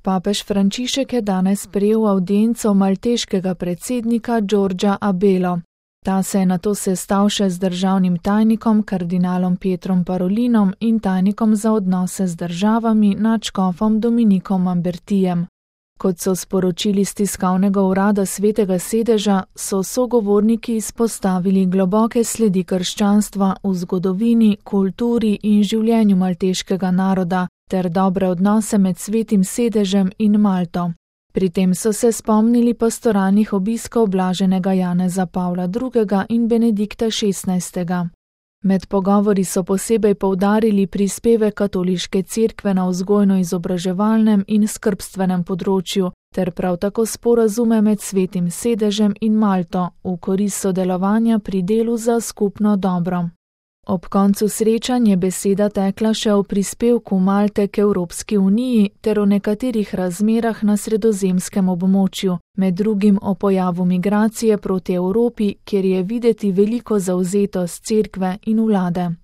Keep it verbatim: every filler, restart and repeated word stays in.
Papež Frančišek je danes sprejel avdienco malteškega predsednika Giorgia Abelo. Ta se je nato sestal še z državnim tajnikom kardinalom Pietrom Parolinom in tajnikom za odnose z državami nadškofom Dominikom Mambertijem. Kot so sporočili z tiskovnega urada Svetega sedeža, so sogovorniki izpostavili globoke sledi krščanstva v zgodovini, kulturi in življenju malteškega naroda ter dobre odnose med Svetim sedežem in Malto. Pri tem so se spomnili pastoralnih obiskov blaženega Janeza Pavla drugega in Benedikta šestnajstega. Med pogovori so posebej poudarili prispevek katoliške cerkve na vzgojno-izobraževalnem in skrbstvenem področju ter prav tako sporazume med Svetim sedežem in Malto v korist sodelovanja pri delu za skupno dobro. Ob koncu srečanj je beseda tekla še o prispevku Malte k Evropski uniji ter o nekaterih razmerah na sredozemskem območju, med drugim o pojavu migracije proti Evropi, kjer je videti veliko zavzetost cerkve in vlade.